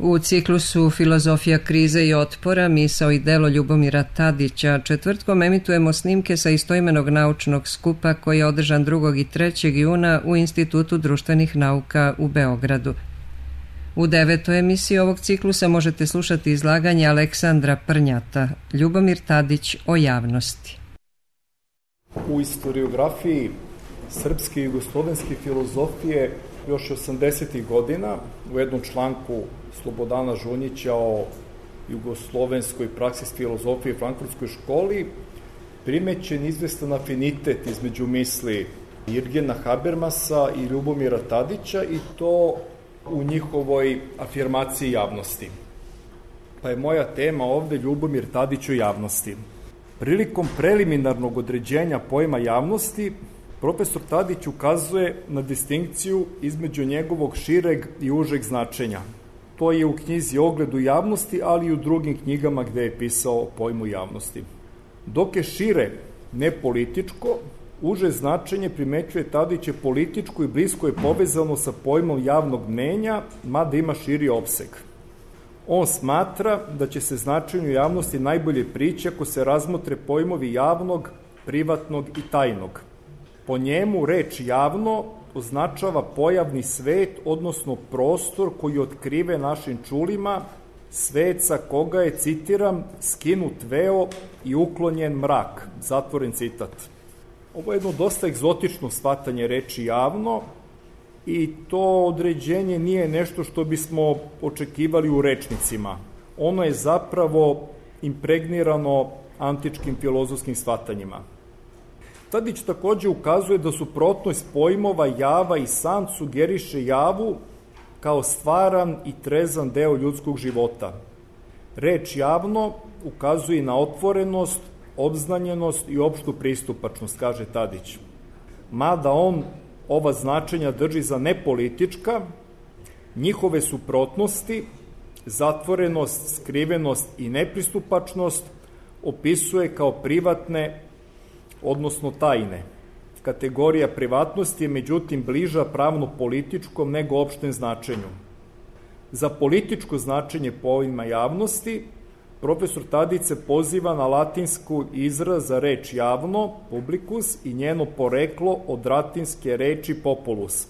U ciklusu Filozofija krize i otpora, misao i delo Ljubomira Tadića četvrtkom emitujemo snimke sa istoimenog naučnog skupa koji je održan 2. i 3. juna u Institutu društvenih nauka u Beogradu. U 9. emisiji ovog ciklusa možete slušati izlaganje Aleksandra Prnjata, Ljubomir Tadić o javnosti. U istoriografiji srpske i jugoslovenske filozofije još 80. godina u jednom članku Slobodana Žunjića o jugoslovenskoj praksi filozofije u Frankfurtskoj školi primećen izvestan afinitet između misli Jürgena Habermasa i Ljubomira Tadića i to u njihovoj afirmaciji javnosti. Pa je moja tema ovde Ljubomir Tadić o javnosti. Prilikom preliminarnog određenja pojma javnosti, profesor Tadić ukazuje na distinkciju između njegovog šireg i užeg značenja. To je u knjizi Ogled u javnosti, ali i u drugim knjigama gde je pisao o pojmu javnosti. Dok je šire, ne političko, uže značenje primećuje Tadić je političko i blisko je povezano sa pojmom javnog mnenja, mada ima širi opseg. On smatra da će se značenju javnosti najbolje prići ako se razmotre pojmovi javnog, privatnog i tajnog. Po njemu reč javno označava pojavni svet, odnosno prostor koji otkrive našim čulima, svet sa koga je, citiram, skinut veo i uklonjen mrak, zatvoren citat. Ovo je jedno dosta egzotično shvatanje reči javno i to određenje nije nešto što bismo očekivali u rečnicima. Ono je zapravo impregnirano antičkim filozofskim shvatanjima. Tadić takođe ukazuje da suprotnost pojmova java i san sugeriše javu kao stvaran i trezan deo ljudskog života. Reč javno ukazuje na otvorenost, obznanjenost i opštu pristupačnost, kaže Tadić. Mada on ova značenja drži za nepolitička, njihove suprotnosti, zatvorenost, skrivenost i nepristupačnost opisuje kao privatne, odnosno tajne. Kategorija privatnosti je međutim bliža pravno-političkom nego opštem značenju. Za političko značenje pojma javnosti, profesor Tadić se poziva na latinsku izraz za reč javno, publicus, i njeno poreklo od latinske reči populus.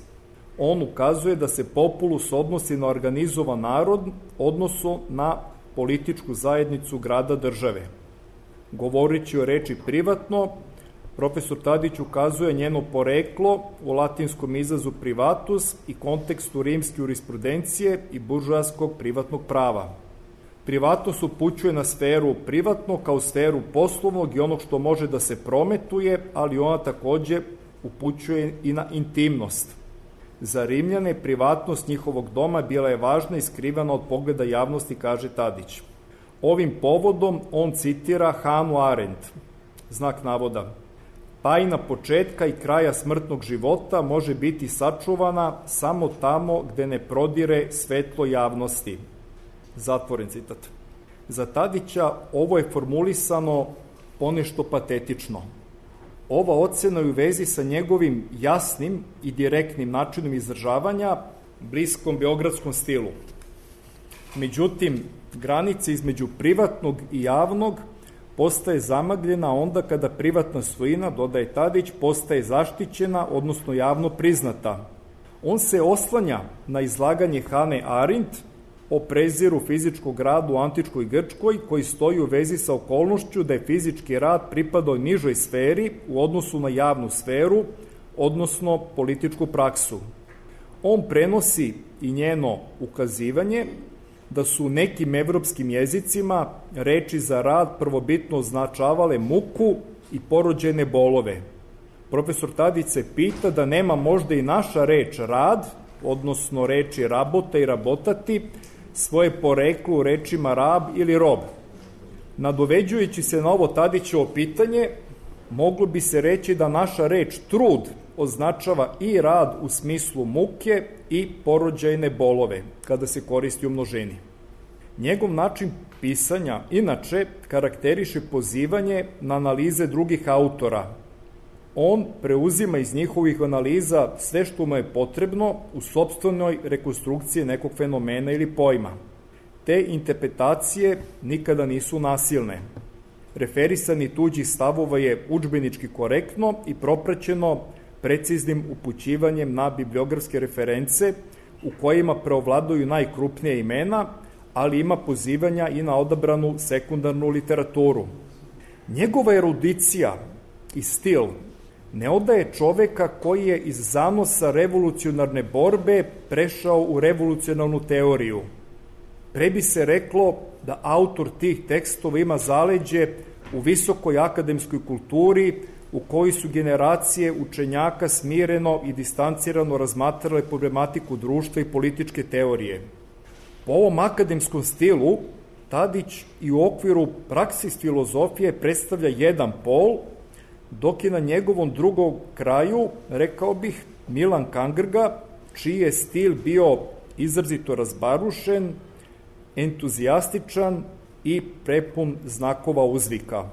On ukazuje da se populus odnosi na organizovan narod, odnosno na političku zajednicu grada države. Govoreći o reči privatno, profesor Tadić ukazuje njeno poreklo u latinskom izrazu privatus i kontekstu rimske jurisprudencije i buržoaskog privatnog prava. Privatnost upućuje na sferu privatno kao sferu poslovnog i onog što može da se prometuje, ali ona takođe upućuje i na intimnost. Za Rimljane privatnost njihovog doma bila je važna i skrivana od pogleda javnosti, kaže Tadić. Ovim povodom on citira Hannah Arendt, znak navoda. Tajna početka i kraja smrtnog života može biti sačuvana samo tamo gde ne prodire svetlo javnosti. Zatvoren citat. Za Tadića ovo je formulisano ponešto patetično. Ova ocena je u vezi sa njegovim jasnim i direktnim načinom izražavanja, bliskom beogradskom stilu. Međutim, granica između privatnog i javnog postaje zamagljena onda kada privatna svojina, dodaje Tadić, postaje zaštićena, odnosno javno priznata. On se oslanja na izlaganje Hane Arendt o preziru fizičkog rada u antičkoj Grčkoj, koji stoji u vezi sa okolnošću da je fizički rad pripadao nižoj sferi u odnosu na javnu sferu, odnosno političku praksu. On prenosi i njeno ukazivanje da su u nekim evropskim jezicima reči za rad prvobitno označavale muku i porođene bolove. Profesor Tadić se pita da nema možda i naša reč rad, odnosno reči rabota i rabotati, svoje poreklo u rečima rab ili rob. Nadoveđujući se na ovo Tadićevo pitanje, moglo bi se reći da naša reč trud označava i rad u smislu muke i porođajne bolove, kada se koristi u množini. Njegov način pisanja, inače, karakteriše pozivanje na analize drugih autora. On preuzima iz njihovih analiza sve što mu je potrebno u sopstvenoj rekonstrukciji nekog fenomena ili pojma. te interpretacije nikada nisu nasilne. Referisanje tuđih stavova je udžbenički korektno i propraćeno preciznim upućivanjem na bibliografske reference u kojima preovladuju najkrupnija imena, ali ima pozivanja i na odabranu sekundarnu literaturu. Njegova erudicija i stil ne odaje čoveka koji je iz zanosa revolucionarne borbe prešao u revolucionarnu teoriju. Pre bi se reklo da autor tih tekstova ima zaleđe u visokoj akademskoj kulturi u kojoj su generacije učenjaka smireno i distancirano razmatrale problematiku društva i političke teorije. Po ovom akademskom stilu, Tadić i u okviru praksis filozofije predstavlja jedan pol, dok je na njegovom drugom kraju, rekao bih, Milan Kangrga, čiji je stil bio izrazito razbarušen, entuzijastičan i prepun znakova uzvika.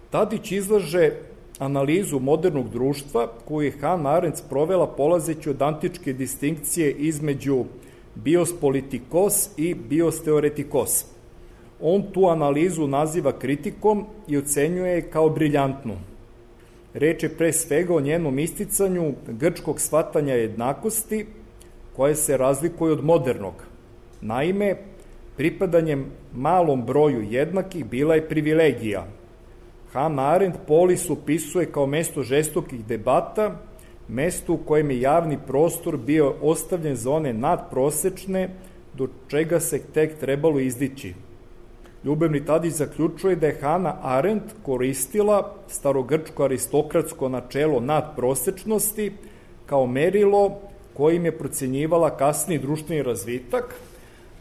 Tadić izlaže analizu modernog društva koju je Hannah Arendt sprovela polazeći od antičke distinkcije između bios politikos i bios teoretikos. On tu analizu naziva kritikom i ocenjuje je kao briljantnu. Reč je pre svega o njenom isticanju grčkog shvatanja jednakosti koje se razlikuje od modernog. Naime, pripadanjem malom broju jednakih bila je privilegija. Hannah Arendt polis upisuje kao mesto žestokih debata, mesto u kojem je javni prostor bio ostavljen za one nadprosečne, do čega se tek trebalo izdići. Ljubavni Tadić zaključuje da je Hannah Arendt koristila starogrčko aristokratsko načelo nadprosečnosti kao merilo kojim je procenjivala kasniji društveni razvitak,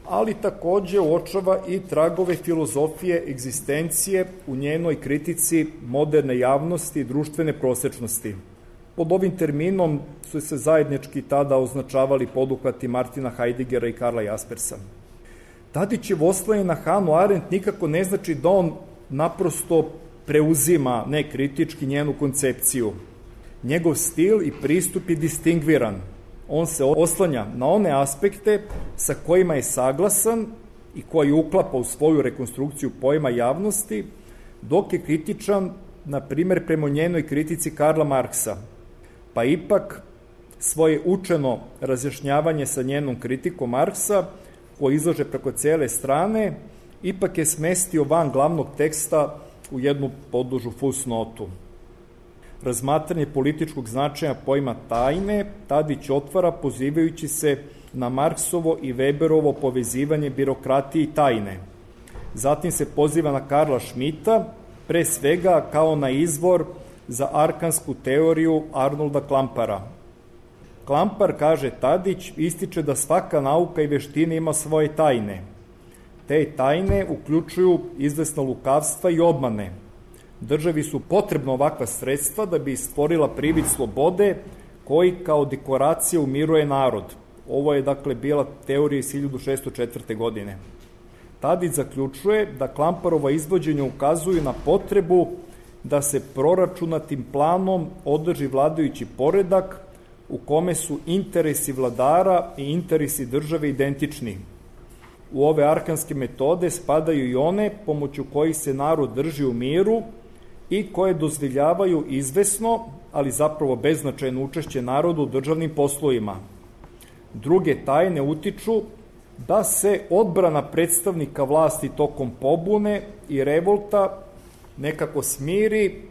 ali takođe uočava i tragove filozofije egzistencije u njenoj kritici moderne javnosti i društvene prosečnosti. Pod ovim terminom su se zajednički tada označavali poduhvati Martina Heideggera i Karla Jaspersa. Tadićev oslanje na Hannah Arendt nikako ne znači da on naprosto preuzima nekritički njenu koncepciju. Njegov stil i pristup je distingviran. On se oslanja na one aspekte sa kojima je saglasan i koji uklapa u svoju rekonstrukciju pojma javnosti, dok je kritičan, na primer, prema njenoj kritici Karla Marksa. Pa ipak svoje učeno razjašnjavanje sa njenom kritikom Marksa, koji izlaže preko cele strane, ipak je smestio van glavnog teksta u jednu podužu fusnotu. Razmatranje političkog značaja pojma tajne Tadić otvara pozivajući se na Marksovo i Weberovo povezivanje birokratije i tajne. Zatim se poziva na Karla Schmidta, pre svega kao na izvor za arkansku teoriju Arnolda Klampara. Klampar, kaže Tadić, ističe da svaka nauka i veština ima svoje tajne. Te tajne uključuju izvesna lukavstva i obmane. Državi su potrebna ovakva sredstva da bi stvorila privid slobode koji kao dekoracija umiruje narod. Ovo je dakle bila teorija iz 1604. godine. Tadić zaključuje da Klamparova izvođenja ukazuju na potrebu da se proračunatim planom održi vladajući poredak u kome su interesi vladara i interesi države identični. U ove arkanske metode spadaju i one pomoću kojih se narod drži u miru i koje dozvoljavaju izvesno, ali zapravo beznačajno učešće narodu u državnim poslovima. Druge tajne utiču da se odbrana predstavnika vlasti tokom pobune i revolta nekako smiri,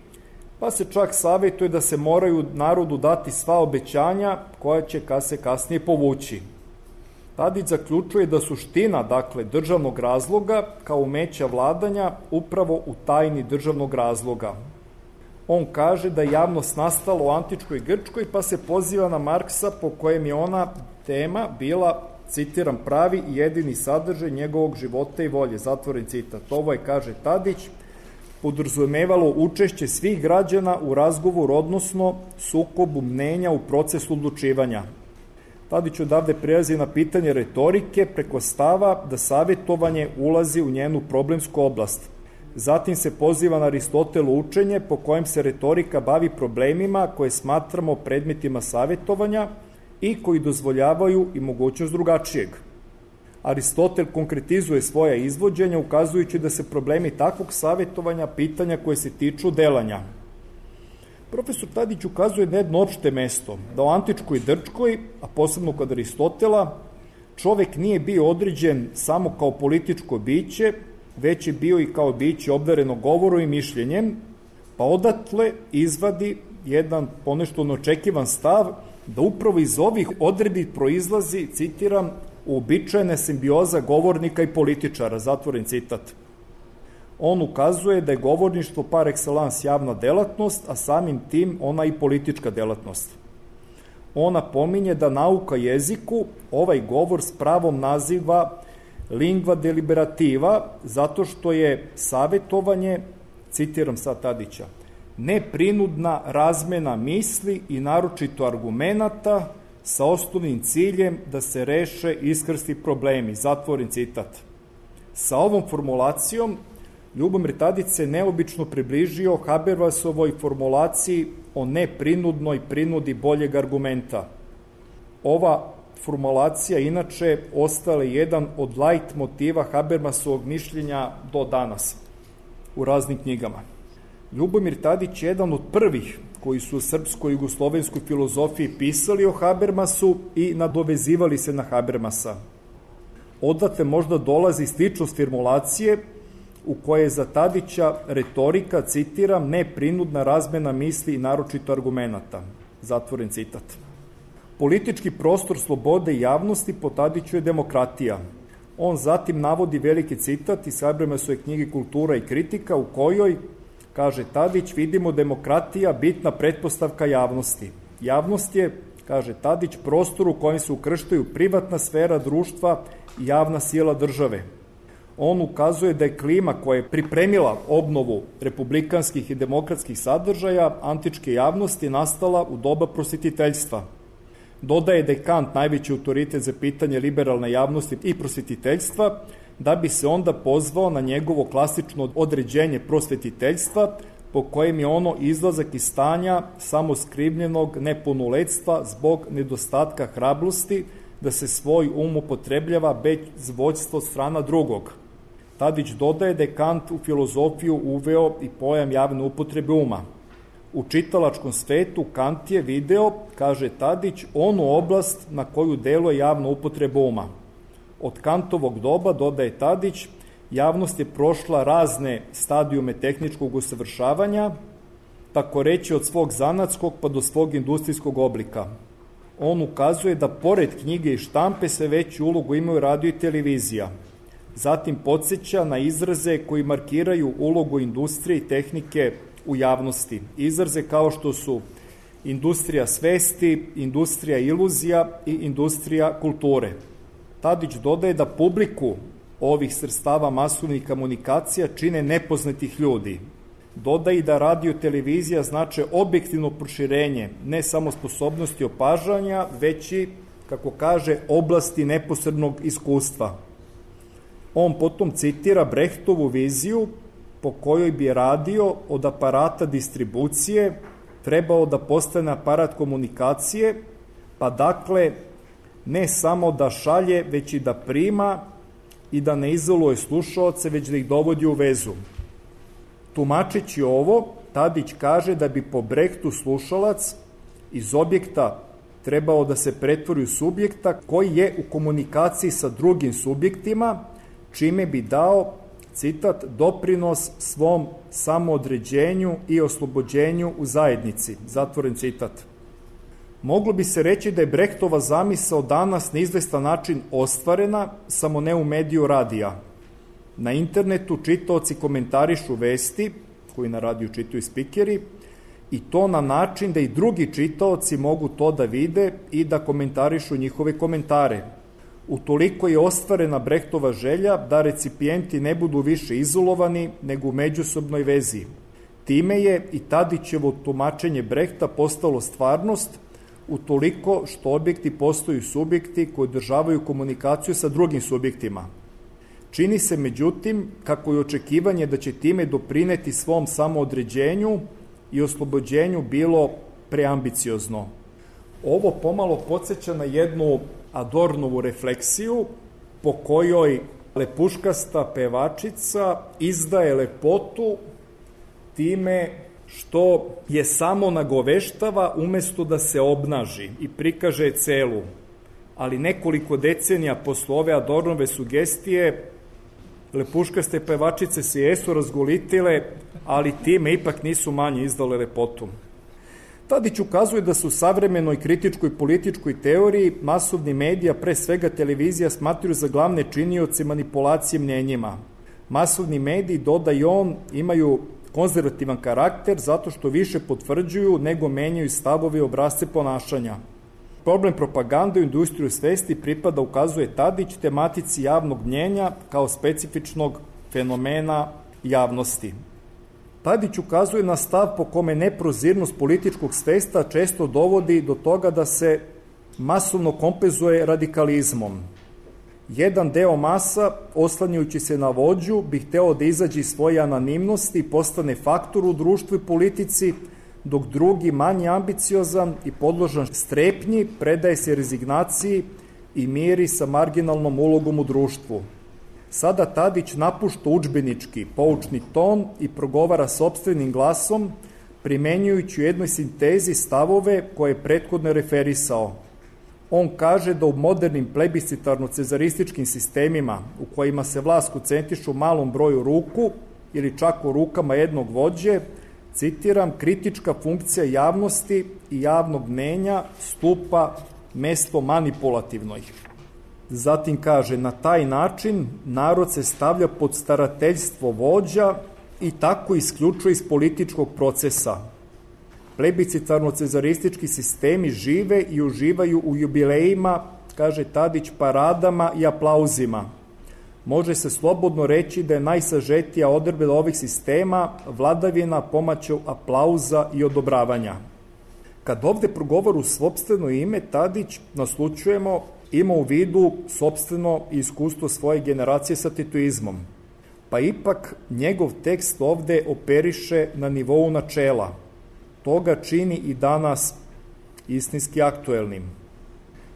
pa se čak savjetuje da se moraju narodu dati sva obećanja koja će se kasnije povući. Tadić zaključuje da suština, dakle, državnog razloga kao umeća vladanja upravo u tajni državnog razloga. On kaže da je javnost nastala u antičkoj Grčkoj, pa se poziva na Marksa po kojem je ona tema bila, citiram, pravi i jedini sadržaj njegovog života i volje, zatvoren citat. Ovo je, kaže Tadić, podrazumevalo učešće svih građana u razgovoru, odnosno sukobu mnenja u procesu odlučivanja. Tadić odavde prelazi na pitanje retorike preko stava da savjetovanje ulazi u njenu problemsku oblast. Zatim se poziva na Aristotelo učenje po kojem se retorika bavi problemima koje smatramo predmetima savjetovanja i koji dozvoljavaju i mogućnost drugačijeg. Aristotel konkretizuje svoja izvođenja, ukazujući da se problemi takvog savjetovanja pitanja koje se tiču delanja. Profesor Tadić ukazuje na jedno opšte mesto, da u antičkoj Grčkoj, a posebno kod Aristotela, čovek nije bio određen samo kao političko biće, već je bio i kao biće obdareno govorom i mišljenjem, pa odatle izvadi jedan ponešto neočekivan stav da upravo iz ovih odredbi proizlazi, citiram, uobičajena simbioza govornika i političara, zatvoren citat. On ukazuje da je govorništvo par excellence javna delatnost, a samim tim ona i politička delatnost. Ona pominje da nauka jeziku ovaj govor s pravom naziva lingua deliberativa, zato što je savjetovanje, citiram sad Tadića, neprinudna razmena misli i naročito argumenata sa osnovnim ciljem da se reše iskrsti problemi, zatvoren citat. Sa ovom formulacijom Ljubomir Tadić se neobično približio Habermasovoj formulaciji o neprinudnoj prinudi boljeg argumenta. Ova formulacija inače ostala je jedan od lajt motiva Habermasovog mišljenja do danas u raznim knjigama. Ljubomir Tadić je jedan od prvih koji su u srpskoj i jugoslovenskoj filozofiji pisali o Habermasu i nadovezivali se na Habermasa. Odatle možda dolazi sličnost formulacije u kojoj je za Tadića retorika, citiram, neprinudna razmena misli i naročito argumenata. Zatvoren citat. Politički prostor slobode i javnosti po Tadiću je demokratija. On zatim navodi veliki citat iz Habermasove knjige Kultura i kritika u kojoj, kaže Tadić, vidimo demokratija bitna pretpostavka javnosti. Javnost je, kaže Tadić, prostor u kojem se ukrštaju privatna sfera društva i javna sila države. On ukazuje da je klima koja je pripremila obnovu republikanskih i demokratskih sadržaja antičke javnosti nastala u doba prosvetiteljstva. Dodaje da je Kant najveći autoritet za pitanje liberalne javnosti i prosvetiteljstva, da bi se onda pozvao na njegovo klasično određenje prosvetiteljstva, po kojem je ono izlazak iz stanja samoskrivljenog nepunoletstva zbog nedostatka hrabrosti da se svoj um upotrebljava bez vođstva od strana drugog. Tadić dodaje da je Kant u filozofiju uveo i pojam javne upotrebe uma. U čitalačkom svetu Kant je video, kaže Tadić, onu oblast na koju deluje javna upotreba uma. Od Kantovog doba, dodaje Tadić, javnost je prošla razne stadijume tehničkog usavršavanja, tako reći od svog zanatskog pa do svog industrijskog oblika. On ukazuje da pored knjige i štampe sve veću ulogu imaju radio i televizija. Zatim podsjeća na izraze koji markiraju ulogu industrije i tehnike u javnosti. Izraze kao što su industrija svesti, industrija iluzija i industrija kulture. Tadić dodaje da publiku ovih sredstava masovnih komunikacija čine nepoznatih ljudi. Dodaje da radio televizija znače objektivno proširenje ne samo sposobnosti opažanja, već i, kako kaže, oblasti neposrednog iskustva. On potom citira Brehtovu viziju po kojoj bi radio od aparata distribucije trebao da postane aparat komunikacije, pa dakle ne samo da šalje, već i da prima i da ne izoluje slušaoce, već da ih dovodi u vezu. Tumačeći ovo, Tadić kaže da bi po Brehtu slušalac iz objekta trebao da se pretvori u subjekta koji je u komunikaciji sa drugim subjektima, čime bi dao, citat, doprinos svom samoodređenju i oslobođenju u zajednici. Zatvoren citat. Moglo bi se reći da je Brehtova zamisao danas na izvestan način ostvarena, samo ne u mediju radija. Na internetu čitaoci komentarišu vesti, koji na radiju čitaju spikeri, i to na način da i drugi čitaoci mogu to da vide i da komentarišu njihove komentare. Utoliko je ostvarena Brehtova želja da recipijenti ne budu više izolovani nego u međusobnoj vezi. Time je i Tadićevo tumačenje Brehta postalo stvarnost, utoliko što objekti postaju subjekti koji održavaju komunikaciju sa drugim subjektima. Čini se, međutim, kako je očekivanje da će time doprineti svom samoodređenju i oslobođenju bilo preambiciozno. Ovo pomalo podsjeća na jednu Adornovu refleksiju po kojoj lepuškasta pevačica izdaje lepotu time što je samo nagoveštava umesto da se obnaži i prikaže je celu. Ali nekoliko decenija posle ove Adornove sugestije lepuškaste pevačice se jesu razgolitile, ali time ipak nisu manje izdale lepotu. Tadić ukazuje da se u savremenoj kritičkoj političkoj teoriji masovni medija, pre svega televizija, smatruju za glavne činioce manipulacije mnjenjima. Masovni mediji, doda i on, imaju konzervativan karakter zato što više potvrđuju nego menjaju stavove i obrasce ponašanja. Problem propagande u industriju svesti pripada, ukazuje Tadić, tematici javnog mnjenja kao specifičnog fenomena javnosti. Tadić ukazuje na stav po kome neprozirnost političkog svesta često dovodi do toga da se masovno kompenzuje radikalizmom. Jedan deo masa, oslanjajući se na vođu, bi hteo da izađe iz svoje anonimnosti i postane faktor u društvu i politici, dok drugi, manje ambiciozan i podložan strepnji, predaje se rezignaciji i miri sa marginalnom ulogom u društvu. Sada Tadić napušta udžbenički, poučni ton i progovara sopstvenim glasom, primenjujući u jednoj sintezi stavove koje je prethodno referisao. On kaže da u modernim plebiscitarno-cezarističkim sistemima u kojima se vlast koncentriše u malom broju ruku ili čak u rukama jednog vođe, citiram, kritička funkcija javnosti i javnog mnjenja stupa mesto manipulativnoj. Zatim kaže, na taj način narod se stavlja pod starateljstvo vođa i tako isključuje iz političkog procesa. Plebiscitarno-cezaristički sistemi žive i uživaju u jubilejima, kaže Tadić, paradama i aplauzima. Može se slobodno reći da je najsažetija odredba ovih sistema vladavina pomoću aplauza i odobravanja. Kad ovde progovoru u sopstveno ime, Tadić, naslučujemo, ima u vidu sopstveno iskustvo svoje generacije sa titoizmom. Pa ipak njegov tekst ovde operiše na nivou načela. To ga čini i danas istinski aktuelnim.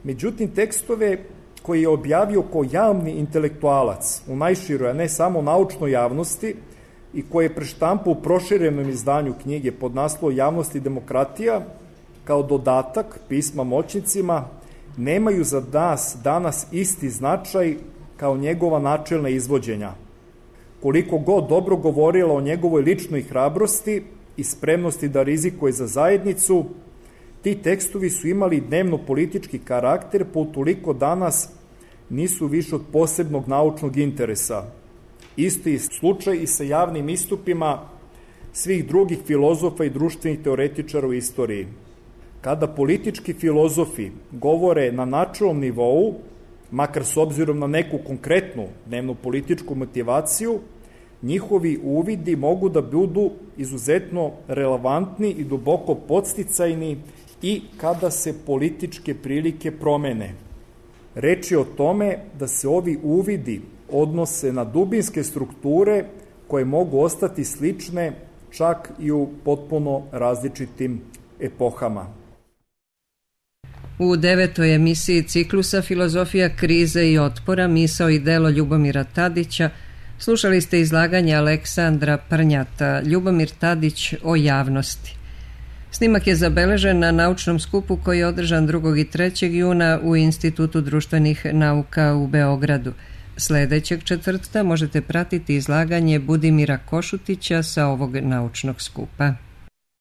Međutim, tekstove koji je objavio kao javni intelektualac u najširoj, a ne samo naučnoj javnosti, i koji je preštampao u proširenom izdanju knjige pod naslovom Javnost i demokratija, kao dodatak pisma moćnicima, nemaju za nas danas isti značaj kao njegova načelna izvođenja. Koliko god dobro govorila o njegovoj ličnoj hrabrosti i spremnosti da rizikuje za zajednicu, ti tekstovi su imali dnevno-politički karakter, pa utoliko danas nisu više od posebnog naučnog interesa. Isto je slučaj i sa javnim istupima svih drugih filozofa i društvenih teoretičara u istoriji. Kada politički filozofi govore na načelnom nivou, makar s obzirom na neku konkretnu dnevno-političku motivaciju, njihovi uvidi mogu da budu izuzetno relevantni i duboko podsticajni i kada se političke prilike promene. Reč je o tome da se ovi uvidi odnose na dubinske strukture koje mogu ostati slične čak i u potpuno različitim epohama. U 9. emisiji ciklusa Filozofija krize i otpora, misao i delo Ljubomira Tadića, slušali ste izlaganje Aleksandra Prnjata, Ljubomir Tadić o javnosti. Snimak je zabeležen na naučnom skupu koji je održan 2. i 3. juna u Institutu društvenih nauka u Beogradu. Sledećeg četvrtka možete pratiti izlaganje Budimira Košutića sa ovog naučnog skupa.